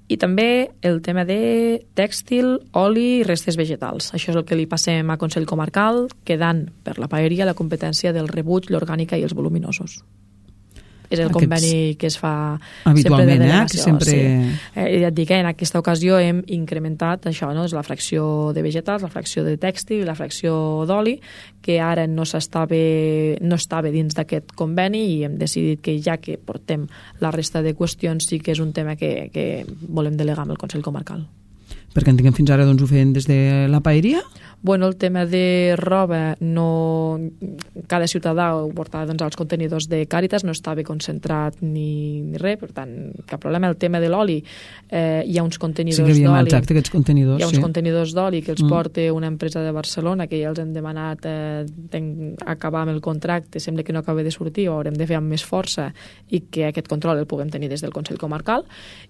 I també el tema de tèxtil, oli i restes vegetals. Això és el que li passem a Consell Comarcal, quedant per la Paeria la competència del rebuig, l'orgànica i els voluminosos. és el conveni que es fa habitualment, sempre de delegació. Que sempre... Sí. Ja et dic, en aquesta ocasió hem incrementat això, no? És la fracció de vegetals, la fracció de tèxtil i la fracció d'oli, que ara no estava dins d'aquest conveni, i hem decidit que ja que portem la resta de qüestions sí que és un tema que volem delegar amb el Consell Comarcal. Perquè entenc que fins ara doncs, ho feien des de la paeria? Bueno, el tema de roba, cada ciutadà ho portava doncs, als contenidors de Càritas, no estava concentrat ni res, per tant, cap problema. El tema de l'oli, hi ha uns contenidors d'oli. Sí que havíem, exacte, aquests contenidors. Hi ha uns contenidors d'oli que els porta una empresa de Barcelona, que ja els hem demanat acabar amb el contracte, sembla que no acaba de sortir, ho haurem de fer amb més força, i que aquest control el puguem tenir des del Consell Comarcal.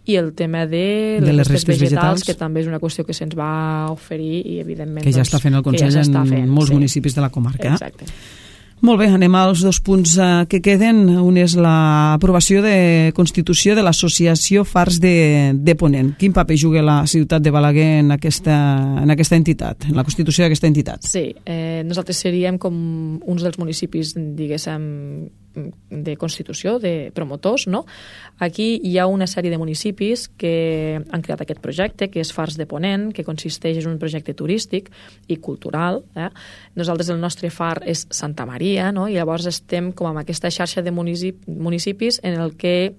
I el tema de les restes vegetals, que també és una qüestió que se'ns va oferir, i evidentment que ja està fent el Consell en molts municipis de la comarca. Exacte. Molt bé, anem als 2 punts que queden. Un és l'aprovació de constitució de l'associació Fars de Ponent. Quin paper juga la ciutat de Balaguer en aquesta entitat, en la constitució d'aquesta entitat? Sí, nosaltres seríem com uns dels municipis, diguéssim, de constitució, de promotors, no? Aquí hi ha una sèrie de municipis que han creat aquest projecte, que és Fars de Ponent, que consisteix en un projecte turístic i cultural. Nosaltres, el nostre far és Santa Maria, no? I llavors estem com amb aquesta xarxa de municipis en el que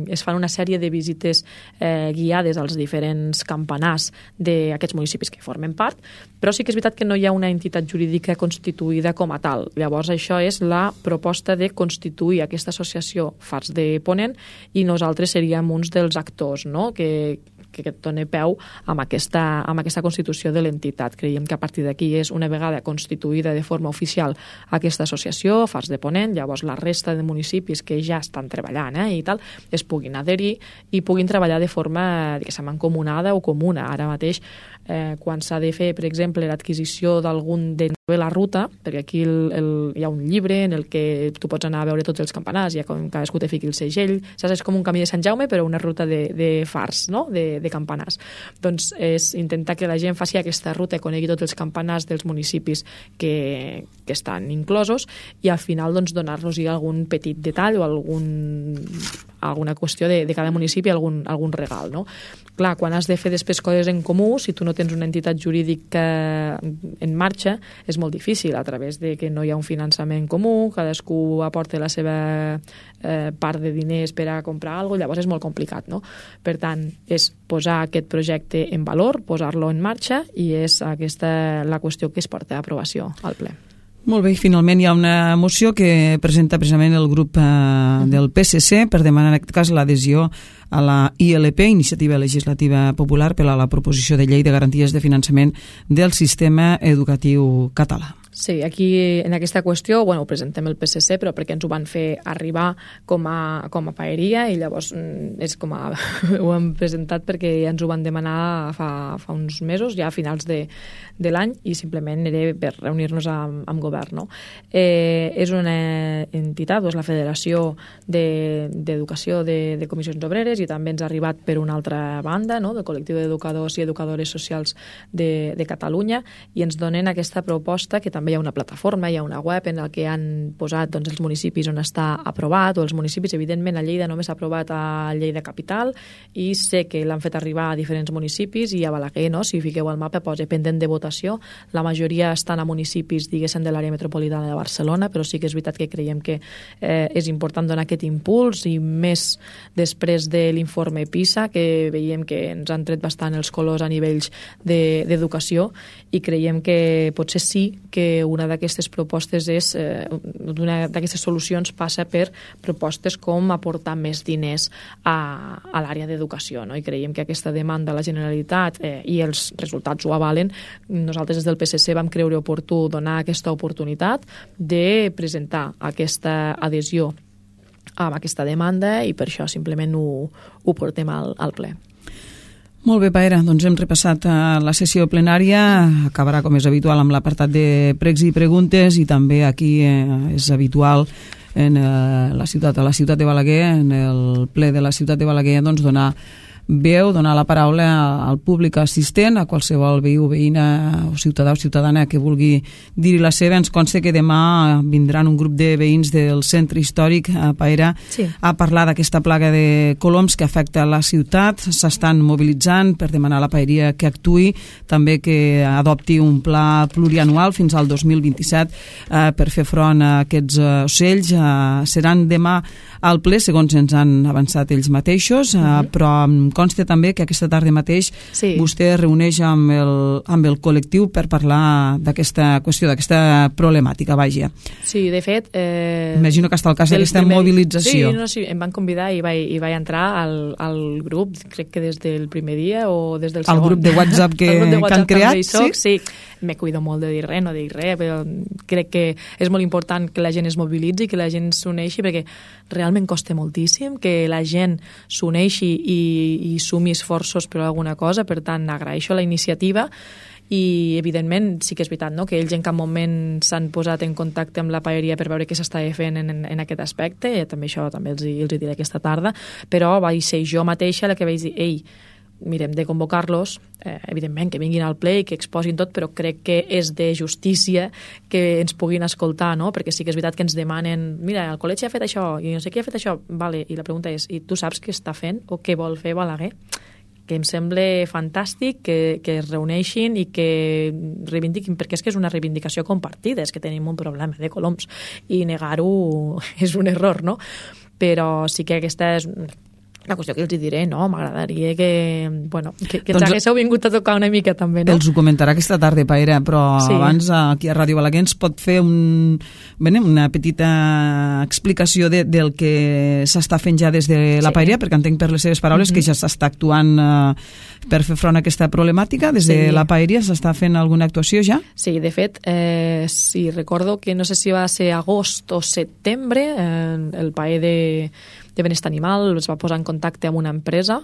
es fan una sèrie de visites guiades als diferents campanars d'aquests municipis que formen part, però sí que és veritat que no hi ha una entitat jurídica constituïda com a tal. Llavors, això és la proposta de constituir aquesta associació Fars de Ponent, i nosaltres seríem uns dels actors, no? que doni peu amb aquesta constitució de l'entitat. Creiem que a partir d'aquí és una vegada constituïda de forma oficial aquesta associació, Fars de Ponent, llavors la resta de municipis que ja estan treballant i tal, es puguin adherir i puguin treballar de forma, diguéssim, mancomunada o comuna. Ara mateix, quan s'ha de fer, per exemple, l'adquisició d'algun de la ruta, perquè aquí hi ha un llibre en el que tu pots anar a veure tots els campanars, cadascú te fiqui el segell, saps? És com un camí de Sant Jaume, però una ruta de fars, no? de campanars. Doncs és intentar que la gent faci aquesta ruta, conegui tots els campanars dels municipis que estan inclosos, i al final doncs, donar-los algun petit detall o alguna qüestió de cada municipi, algun regal, no? Clar, quan has de fer després coses en comú, si tu no tens una entitat jurídica en marxa, és molt difícil, a través de que no hi ha un finançament comú, cadascú aporta la seva part de diners per a comprar alguna cosa, llavors és molt complicat, no? Per tant, és posar aquest projecte en valor, posar-lo en marxa, i és aquesta la qüestió que es porta a aprovació al ple. Molt bé, i finalment hi ha una moció que presenta precisament el grup del PSC per demanar en aquest cas l'adhesió a la ILP, Iniciativa Legislativa Popular, per a la proposició de llei de garanties de finançament del sistema educatiu català. Sí, aquí en aquesta qüestió ho presentem el PSC, però perquè ens ho van fer arribar com a paeria, i llavors és com ho hem presentat perquè ja ens ho van demanar fa uns mesos, ja a finals de l'any, i simplement era per reunir-nos amb govern, no? És una entitat, la Federació d'Educació de Comissions Obreres, i també ens ha arribat per una altra banda, no? Del col·lectiu d'educadors i educadores socials de Catalunya, i ens donen aquesta proposta, que també hi ha una plataforma, hi ha una web en la que han posat els municipis on està aprovat, o els municipis, evidentment a Lleida només s'ha aprovat a Lleida Capital, i sé que l'han fet arribar a diferents municipis, i a Balaguer, no? Si fiqueu al mapa posa pendent de votació, la majoria estan a municipis, diguéssim, de l'àrea metropolitana de Barcelona, però sí que és veritat que creiem que és important donar aquest impuls, i més després de l'informe PISA, que veiem que ens han tret bastant els colors a nivells d'educació, i creiem que potser sí que una d'aquestes propostes una d'aquestes solucions passa per propostes com aportar més diners a l'àrea d'educació, no? I creiem que aquesta demanda a la Generalitat i els resultats ho avalen. Nosaltres des del PSC vam creure oportú donar aquesta oportunitat de presentar aquesta adhesió amb aquesta demanda, i per això simplement ho portem al ple. Molt bé, Paera, doncs hem repassat la sessió plenària, acabarà com és habitual amb l'apartat de pregs i preguntes, i també aquí és habitual a la ciutat de Balaguer, en el ple de la ciutat de Balaguer, doncs donar veu, donar la paraula al públic assistent, a qualsevol veí o veïna o ciutadà o ciutadana que vulgui dir la seva. Ens consta que demà vindran un grup de veïns del centre històric a Paera a parlar d'aquesta plaga de coloms que afecta la ciutat. S'estan mobilitzant per demanar a la paeria que actuï, també que adopti un pla plurianual fins al 2027 per fer front a aquests ocells. Seran demà al ple, segons ens han avançat ells mateixos, però em consta també que aquesta tarda mateix vostè es reuneix amb el col·lectiu per parlar d'aquesta qüestió, d'aquesta problemàtica, vaja. Sí, de fet... Imagino que està al cas d'aquesta mobilització. Sí, em van convidar i vaig entrar al grup, crec que des del primer dia o des del segon. Al grup de WhatsApp que han creat? Sí, me cuido molt de dir res, no dic res, però crec que és molt important que la gent es mobilitzi, que la gent s'uneixi, perquè realment costa moltíssim que la gent s'uneixi i sumi esforços per alguna cosa. Per tant, agraeixo la iniciativa i, evidentment, sí que és veritat, no?, que ells en cap moment s'han posat en contacte amb la paeria per veure què s'estava fent en aquest aspecte. També això també els diré aquesta tarda, però vaig ser jo mateixa la que vaig dir, ei, mirem de convocar-los, evidentment que vinguin al ple i que exposin tot, però crec que és de justícia que ens puguin escoltar, no? Perquè sí que és veritat que ens demanen, mira, el col·legi ha fet això i no sé qui ha fet això, vale, i la pregunta és, i tu saps què està fent o què vol fer Balaguer? Que em sembla fantàstic que es reuneixin i que reivindiquin, perquè és que és una reivindicació compartida, és que tenim un problema de coloms i negar-ho és un error, no? Però sí que aquesta és la qüestió que els diré, no? M'agradaria que ens haguéssiu vingut a tocar una mica també, no? Els ho comentarà aquesta tarda, Paera, però abans aquí a Ràdio Balaguer ens pot fer una petita explicació del que s'està fent ja des de la Paeria, perquè entenc per les seves paraules que ja s'està actuant per fer front a aquesta problemàtica. Des de la Paeria s'està fent alguna actuació ja? Sí, de fet, sí, recordo que no sé si va ser agost o setembre, el PAE de Benestar Animal es va posar en contacte amb una empresa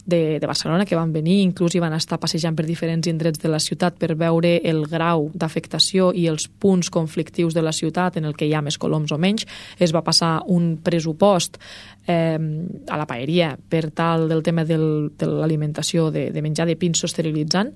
de Barcelona que van venir, inclús hi van estar passejant per diferents indrets de la ciutat per veure el grau d'afectació i els punts conflictius de la ciutat en el que hi ha més coloms o menys. Es va passar un pressupost a la paeria per tal del tema de l'alimentació de menjar de pinso esterilitzant,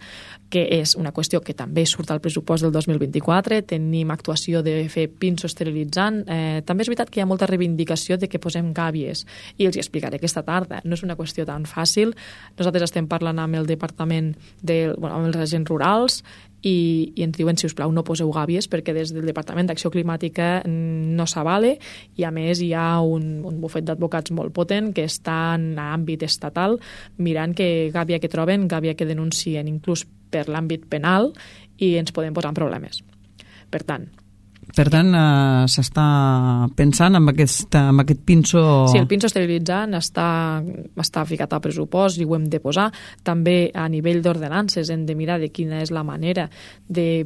que és una qüestió que també surt al pressupost del 2024. Tenim actuació de fer pinso esterilitzant. També és veritat que hi ha molta reivindicació de que posem gàbies, i els hi explicaré aquesta tarda. No és una qüestió tan fàcil. Nosaltres estem parlant amb el departament amb els agents rurals i ens diuen, si us plau, no poseu gàbies perquè des del Departament d'Acció Climàtica no s'avale, i a més hi ha un bufet d'advocats molt potent que està en àmbit estatal mirant que gàbia que troben, gàbia que denuncien inclús per l'àmbit penal, i ens podem posar en problemes. Per tant, s'està pensant en aquest pinso... Sí, el pinso esterilitzant està ficat al pressupost i ho hem de posar. També a nivell d'ordenances hem de mirar de quina és la manera de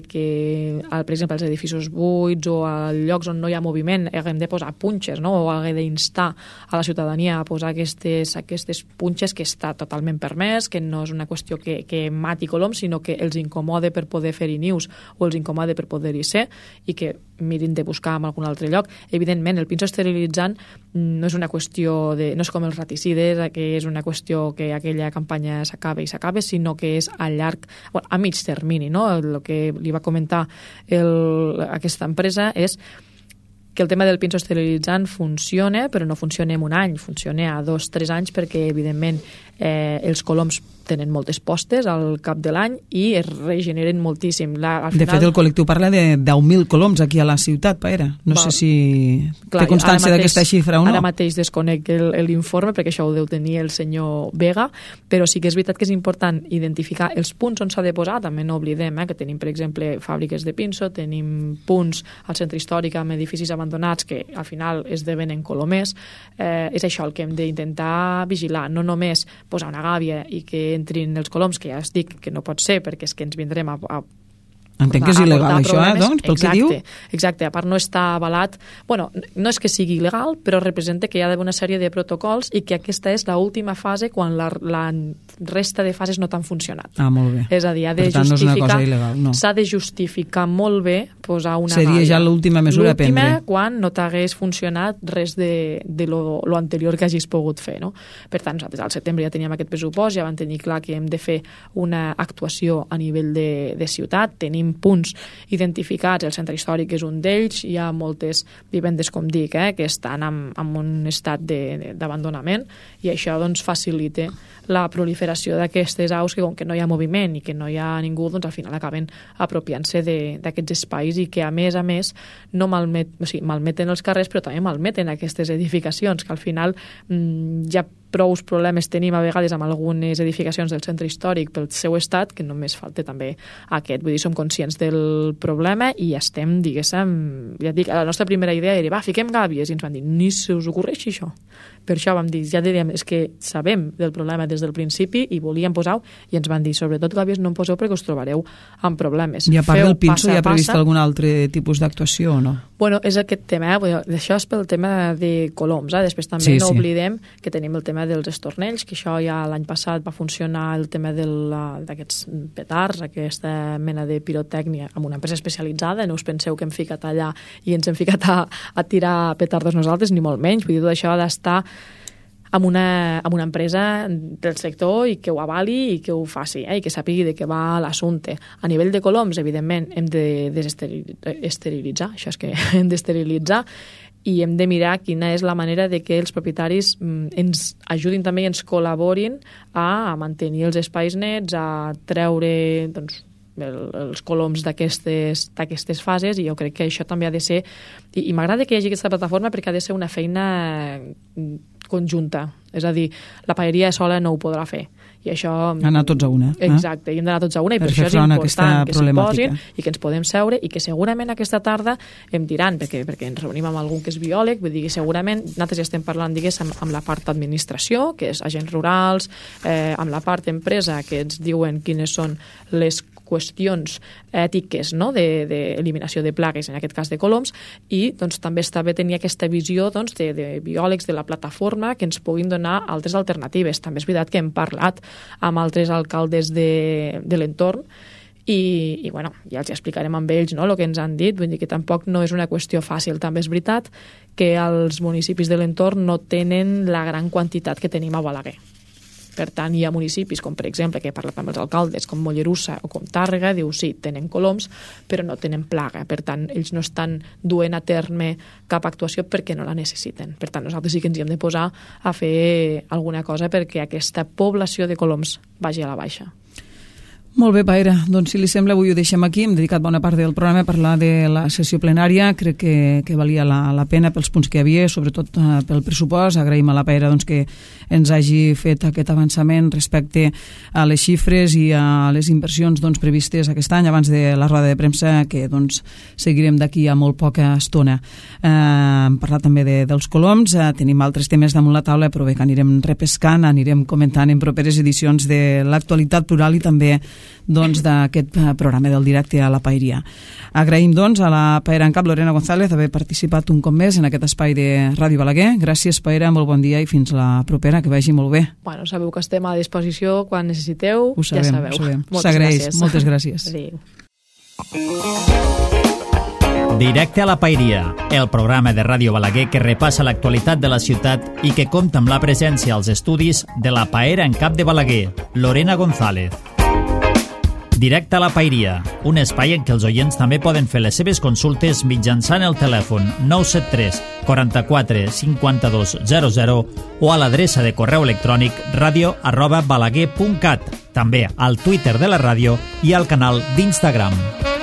que, per exemple, als edificis buits o a llocs on no hi ha moviment haguem de posar punxes, no? O haguem d'instar a la ciutadania a posar aquestes punxes, que està totalment permès, que no és una qüestió que mati coloms, sinó que els incomode per poder fer-hi nius o els incomode per poder-hi ser, i que mirin de buscar en algun altre lloc. Evidentment, el pinso esterilitzant no és una qüestió no és com els raticides, que és una qüestió que aquella campanya s'acaba, sinó que és a mig termini, no? El que li va comentar aquesta empresa és que el tema del pinso esterilitzant funciona, però no funciona en un any, funciona a 2-3 anys, perquè, evidentment, els coloms tenen moltes postes al cap de l'any i es regeneren moltíssim. De fet, el col·lectiu parla de 10.000 coloms aquí a la ciutat, Paera. No sé si té constància d'aquesta xifra o no. Ara mateix desconec l'informe, perquè això ho deu tenir el senyor Vega, però sí que és veritat que és important identificar els punts on s'ha de posar. També no oblidem que tenim, per exemple, fàbriques de pinso, tenim punts al centre històric amb edificis abandonats que al final esdevenen colomers. És això el que hem d'intentar vigilar, no només posar una gàbia i que entrin els coloms, que ja es dic que no pot ser, perquè és que ens vindrem a entenc que és il·legal això, doncs, pel que diu? Exacte, a part no està avalat. Bueno, no és que sigui il·legal, però representa que hi ha d'haver una sèrie de protocols i que aquesta és l'última fase quan la resta de fases no t'han funcionat. Molt bé. És a dir, per tant, no és una cosa il·legal, no. S'ha de justificar molt bé posar una Seria ja l'última mesura a prendre. L'última quan no t'hagués funcionat res de lo anterior que hagis pogut fer, no? Per tant, nosaltres al setembre ja teníem aquest pressupost, ja vam tenir clar que hem de fer una actuació a nivell de ciutat, tenim punts identificats, el centre històric és un d'ells, hi ha moltes vivendes, com dic, que estan en un estat d'abandonament, i això doncs facilita la proliferació d'aquestes aus que, com que no hi ha moviment i que no hi ha ningú, doncs al final acaben apropiant-se d'aquests espais i que a més no malmeten els carrers, però també malmeten aquestes edificacions, que al final ja prous problemes tenim a vegades amb algunes edificacions del centre històric pel seu estat, que només falta també aquest. Vull dir, som conscients del problema i estem, diguéssim, ja dic, la nostra primera idea era, fiquem gàbies, i ens van dir, ni se us ocorreixi això. Per això vam dir, ja diríem, és que sabem del problema des del principi i volíem posar-ho, i ens van dir, sobretot gàbies no en poseu perquè us trobareu amb problemes. I a part del pinso, hi ha previst algun altre tipus d'actuació o no? Bueno, és aquest tema, això és pel tema de coloms, després també no oblidem que tenim el tema dels estornells, que això ja l'any passat va funcionar el tema d'aquests petards, aquesta mena de pirotècnia amb una empresa especialitzada, no us penseu que hem ficat allà i ens hem ficat a tirar petardos nosaltres, ni molt menys, vull dir, tot això ha d'estar amb una empresa del sector i que ho avali i que ho faci, i que sàpigui de què va l'assumpte. A nivell de coloms, evidentment, hem de esterilitzar, això és que hem d'esterilitzar, i hem de mirar quina és la manera de que els propietaris ens ajudin també i ens col·laborin a mantenir els espais nets, a treure els coloms d'aquestes fases, i jo crec que això també ha de ser, i m'agrada que hi hagi aquesta plataforma perquè ha de ser una feina conjunta, és a dir, la paeria sola no ho podrà fer, i això... Anar tots a una. Exacte, i hem d'anar tots a una, i per això és important que s'hi posin i que ens podem seure, i que segurament aquesta tarda em diran, perquè ens reunim amb algun que és biòleg, vull dir que segurament nosaltres ja estem parlant, diguéssim, amb la part administració, que és agents rurals, amb la part empresa, que ens diuen quines són les qüestions ètiques, no?, d'eliminació de plagues, en aquest cas de coloms, i doncs, també està bé tenir aquesta visió de biòlegs de la plataforma que ens puguin donar altres alternatives. També és veritat que hem parlat amb altres alcaldes de l'entorn i bueno, ja els explicarem amb ells el que ens han dit, vull dir que tampoc no és una qüestió fàcil. També és veritat que els municipis de l'entorn no tenen la gran quantitat que tenim a Balaguer. Per tant, hi ha municipis, com per exemple, que he parlat amb els alcaldes, com Mollerussa o com Tàrrega, diu sí, tenen coloms, però no tenen plaga. Per tant, ells no estan duent a terme cap actuació perquè no la necessiten. Per tant, nosaltres sí que ens hi hem de posar a fer alguna cosa perquè aquesta població de coloms vagi a la baixa. Molt bé, Paera. Doncs, si li sembla, avui ho deixem aquí. Hem dedicat bona part del programa a parlar de la sessió plenària. Crec que valia la pena pels punts que hi havia, sobretot pel pressupost. Agraïm a la Paera que ens hagi fet aquest avançament respecte a les xifres i a les inversions previstes aquest any, abans de la roda de premsa, que seguirem d'aquí a molt poca estona. Hem parlat també dels coloms. Tenim altres temes damunt la taula, però bé, que anirem repescant, anirem comentant en properes edicions de l'actualitat plural i també d'aquest programa del directe a la Paeria. Agraïm a la Paera en cap, Lorena González, haver participat un cop més en aquest espai de Ràdio Balaguer. Gràcies, Paera, molt bon dia i fins la propera, que vagi molt bé. Bueno, sabeu que estem a disposició quan necessiteu, ho sabem, ja sabeu. Ho sabem. S'agraeix. Moltes gràcies. Adéu. Directe a la Paeria, el programa de Ràdio Balaguer que repassa l'actualitat de la ciutat i que compta amb la presència als estudis de la Paera en cap de Balaguer, Lorena González. Directe a la Paeria, un espai en què els oients també poden fer les seves consultes mitjançant el telèfon 973 44 52 00 o a l'adreça de correu electrònic radio@balaguer.cat, també al Twitter de la ràdio i al canal d'Instagram.